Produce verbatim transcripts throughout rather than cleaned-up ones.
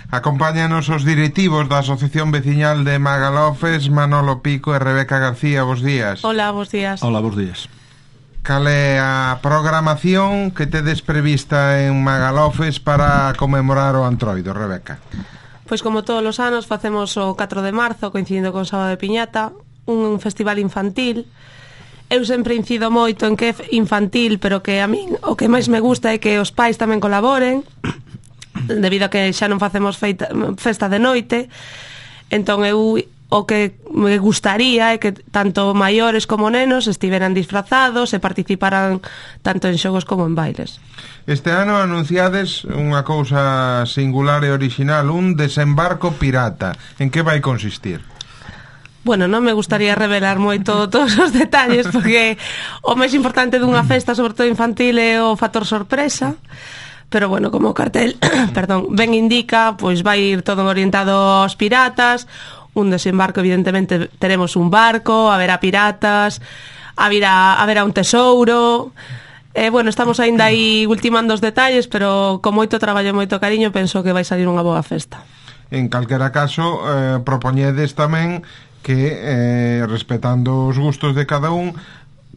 Acompáñanos os directivos da Asociación Veciñal de Magalofes, Manolo Pico e Rebeca García. Bos días. Hola, bos días. Hola, bos días. Cal é a programación que tedes prevista en Magalofes para conmemorar o Antroido, Rebeca? Pois como todos os anos facemos o catro de marzo, coincidindo con Sábado de Piñata, un festival infantil. Eu sempre incido moito en que é infantil, pero que a min o que máis me gusta é que os pais tamén colaboren, debido a que xa non facemos feita, festa de noite. Entón eu o que me gustaría é que tanto maiores como nenos estiveran disfrazados e participaran tanto en xogos como en bailes. Este ano anunciades unha cousa singular e orixinal, un desembarco pirata. En que vai consistir? Bueno, non me gustaría revelar moito todos os detalles, porque o máis importante dunha festa, sobre todo infantil, é o factor sorpresa. Pero bueno, como o cartel perdón, ben indica, pois vai ir todo orientado aos piratas. Un desembarco, evidentemente, teremos un barco, haberá piratas, haberá, haberá un tesouro. Eh, bueno, estamos aínda aí ultimando os detalles, pero con moito traballo e moito cariño penso que vai salir unha boa festa. En calquera caso, eh, propoñedes tamén que, eh, respetando os gustos de cada un,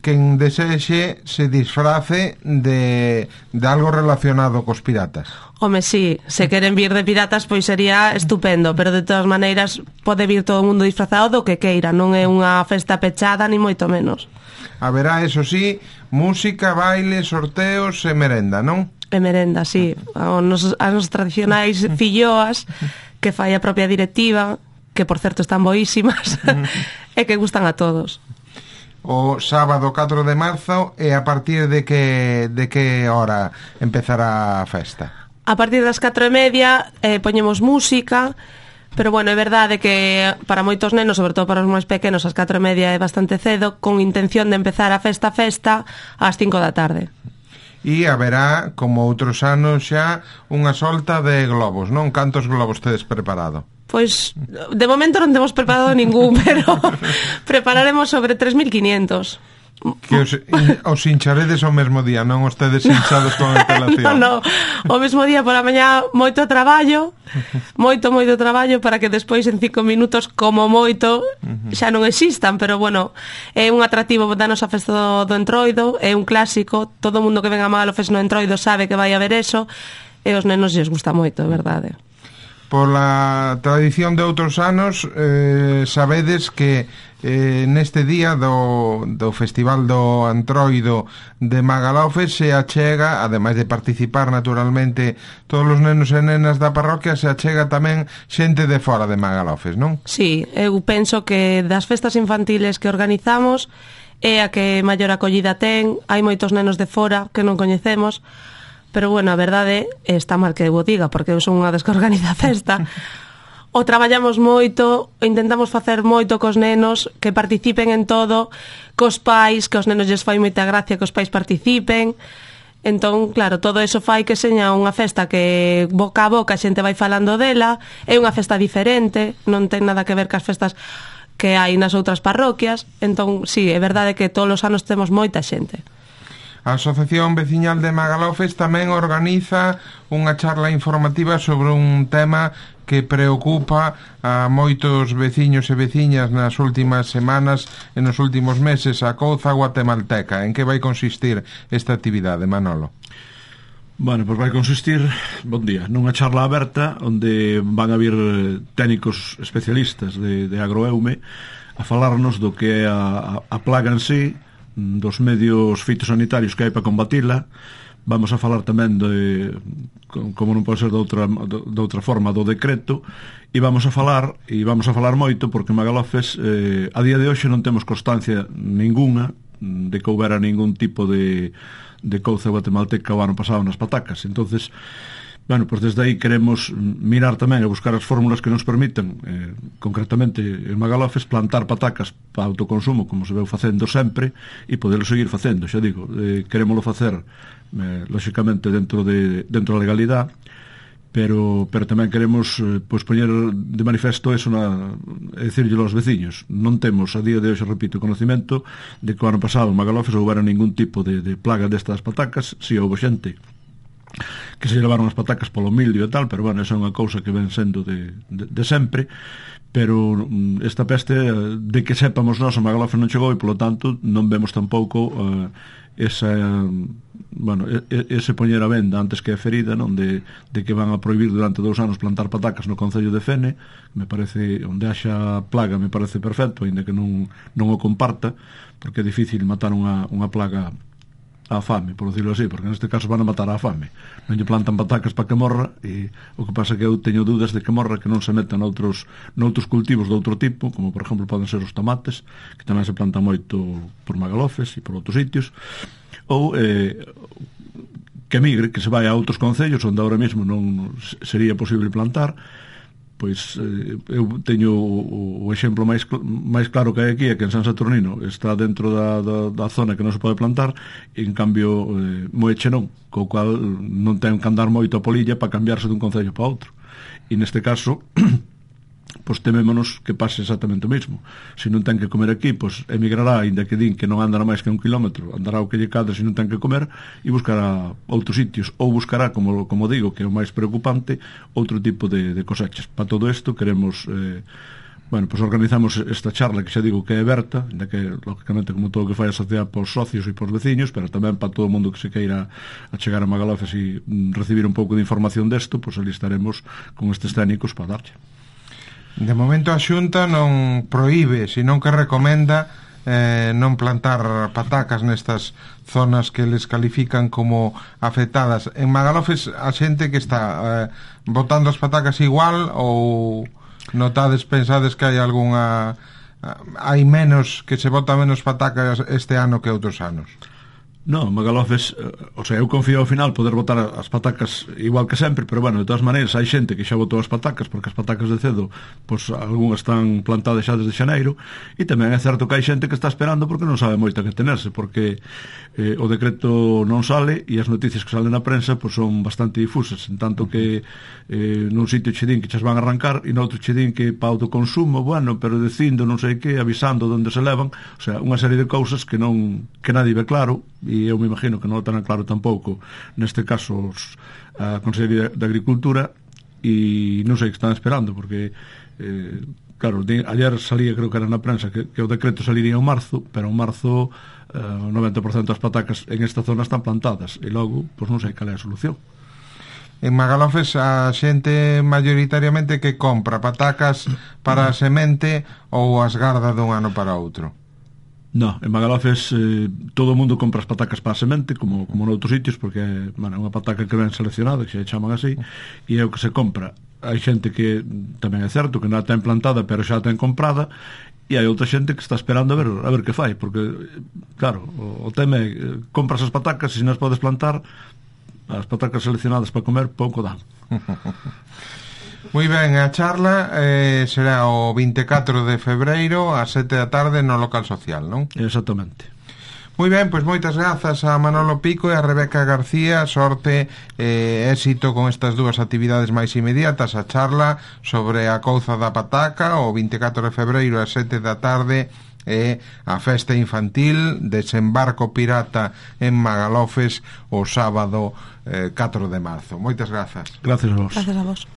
quen desexe se disfrace de, de algo relacionado cos piratas. Home, sí, se queren vir de piratas pois sería estupendo, pero de todas maneiras pode vir todo o mundo disfrazado do que queira, non é unha festa pechada ni moito menos. Haberá, eso sí, música, baile, sorteos e merenda, non? E merenda, sí, as nos tradicionais filloas que fai a propia directiva, que por certo están boísimas e que gustan a todos. O sábado catro de marzo, e a partir de que de que hora empezará a festa? A partir das catro e media eh, poñemos música, pero bueno, é verdade que para moitos nenos, sobre todo para os máis pequenos, as catro e media é bastante cedo, con intención de empezar a festa festa ás cinco da tarde. E haberá, como outros anos xa, unha solta de globos, non? Cantos globos tedes preparado? Pois, de momento non temos preparado ningún, pero prepararemos sobre tres mil quinientos. Que os, os hincharedes o mesmo día, non os tedes hinchados con antelación? Non, non, o mesmo día por a mañá moito traballo, moito, moito traballo para que despois en cinco minutos, como moito, xa non existan, pero bueno, é un atractivo da nosa festa do, do Entroido, é un clásico, todo o mundo que ven a Magalofes no Entroido sabe que vai haber eso, e os nenos lles gusta moito, é verdade. Pola tradición de outros anos, eh, sabedes que eh, neste día do, do Festival do Antroido de Magalofes se achega, ademais de participar naturalmente todos os nenos e nenas da parroquia, se achega tamén xente de fora de Magalofes, non? Sí, eu penso que das festas infantiles que organizamos é a que maior acollida ten, hai moitos nenos de fora que non coñecemos. Pero bueno, a verdade está mal que eu o diga, porque eu son unha das que organiza a festa. O traballamos moito, intentamos facer moito cos nenos, que participen en todo, cos pais, que os nenos lles fai moita gracia que os pais participen. Entón, claro, todo eso fai que seña unha festa que boca a boca a xente vai falando dela, é unha festa diferente, non ten nada que ver cas festas que hai nas outras parroquias. Entón, sí, é verdade que todos os anos temos moita xente. A Asociación Veciñal de Magalofes tamén organiza unha charla informativa sobre un tema que preocupa a moitos veciños e veciñas nas últimas semanas e nos últimos meses, a couza guatemalteca. En que vai consistir esta actividade, Manolo? Bueno, pois vai consistir, bon día, nunha charla aberta onde van a vir técnicos especialistas de, de agroeume a falarnos do que é a, a plaga en sí, dos medios fitosanitarios que hai para combatila. Vamos a falar tamén de, como non pode ser de outra, de outra forma, do decreto, e vamos a falar e vamos a falar moito porque Magalofes eh, a día de hoxe non temos constancia ninguna de que houbera ningún tipo de, de couza guatemalteca o ano pasado nas patacas. Entonces, bueno, pois desde aí queremos mirar tamén e buscar as fórmulas que nos permitan, eh, concretamente en Magalofes, plantar patacas para autoconsumo, como se veu facendo sempre, e poderlo seguir facendo, xa digo, eh, querémoslo facer, eh, lóxicamente, dentro de dentro da legalidade, pero pero tamén queremos eh, pois poñer de manifesto eso, na, é dicirlle aos veciños. Non temos, a día de hoxe, repito, conocimento de que o ano pasado en Magalofes houbera ningún tipo de, de plaga destas patacas. Si houve xente que se levaron as patacas polo mildio e tal, pero bueno, esa é unha cousa que ven sendo de, de, de sempre. Pero esta peste, de que sepamos nós, a Magalhães non chegou, e polo tanto non vemos tampouco uh, esa, bueno, ese poñer a venda antes que a ferida, non, de, de que van a prohibir durante dous anos plantar patacas no concello de Fene. Me parece, onde haxa plaga me parece perfecto, ainda que non, non o comparta, porque é difícil matar unha, unha plaga a fame, por decirlo así, porque neste caso van a matar a fame. Non lle plantan patacas para que morra, e o que pasa é que eu teño dúdas de que morra, que non se metan noutros, noutros cultivos de outro tipo, como por exemplo poden ser os tomates, que tamén se plantan moito por Magalhães e por outros sitios, ou eh, que migre, que se vai a outros concellos onde ahora mesmo non sería posible plantar. Pois eh, eu teño o, o exemplo máis, máis claro que hai aquí, é que en San Saturnino está dentro da, da, da zona que non se pode plantar, e en cambio eh, Moeche non, co cual non ten que andar moito a polilla para cambiarse dun concello para outro. E neste caso pois temémonos que pase exactamente o mesmo. Se non ten que comer aquí, pois emigrará, ainda que din que non andará máis que un kilómetro, andará o que lle cadre se non ten que comer, e buscará outros sitios, ou buscará, como, como digo, que é o máis preocupante, outro tipo de, de cosechas. Para todo isto queremos eh, bueno, pois organizamos esta charla, que xa digo que é aberta, ainda que lógicamente como todo o que fai a sociedade para os socios e para os veciños, pero tamén para todo o mundo que se queira a chegar a Magalhães e mm, recibir un pouco de información desto, pois ali estaremos con estes técnicos para darlle. De momento a Xunta non proíbe, senón que recomenda eh, non plantar patacas nestas zonas que les califican como afectadas. En Magalhães a xente que está eh, botando as patacas igual, ou notades, pensades que hai algunha, hai menos, que se bota menos patacas este ano que outros anos? Non, Magalhães, o sea, eu confío ao final poder botar as patacas igual que sempre, pero bueno, de todas maneiras hai xente que xa botou as patacas, porque as patacas de cedo, pois algunhas están plantadas xa desde xaneiro, e tamén é certo que hai xente que está esperando porque non sabe moito a que tenerse, porque eh, o decreto non sale, e as noticias que salen na prensa pois son bastante difusas, en tanto que eh, nun sitio che din que chas van a arrancar, e noutro che din que para autoconsumo, bueno, pero dicindo non sei que, avisando onde se levan, o sea, unha serie de cousas que non, que nadie ve claro, e eu me imagino que non o tenan claro tampouco neste caso os, a Consellería de Agricultura, e non sei que están esperando, porque eh, claro, de, ayer salía, creo que era na prensa, que, que o decreto saliría en marzo, pero en marzo eh, o noventa por ciento das patacas en esta zona están plantadas, e logo, pois non sei cal é a solución. En Magalhães a xente mayoritariamente que compra patacas para a semente, ou as garda dun ano para outro? No, en Magalhães eh, todo o mundo compra as patacas para a semente, como, como noutros sitios, porque é bueno, unha pataca que ven seleccionada, que se chaman así, e é o que se compra. Hai xente que tamén é certo que non a ten plantada, pero xa a ten comprada, e hai outra xente que está esperando a ver, a ver que fai, porque claro, o, o tema é, compras as patacas, e se non as podes plantar, as patacas seleccionadas para comer pouco dan. Moi ben, a charla eh, será o vinte e catro de febreiro ás sete da tarde no local social, non? Exactamente. Moi ben, pois moitas grazas a Manolo Pico e a Rebeca García, sorte e eh, éxito con estas dúas actividades máis inmediatas, a charla sobre a couza da pataca o vinte e catro de febreiro ás sete da tarde, e a festa infantil Desembarco Pirata en Magalhães o sábado eh, catro de marzo. Moitas grazas. Gracias a vos. Gracias a vos.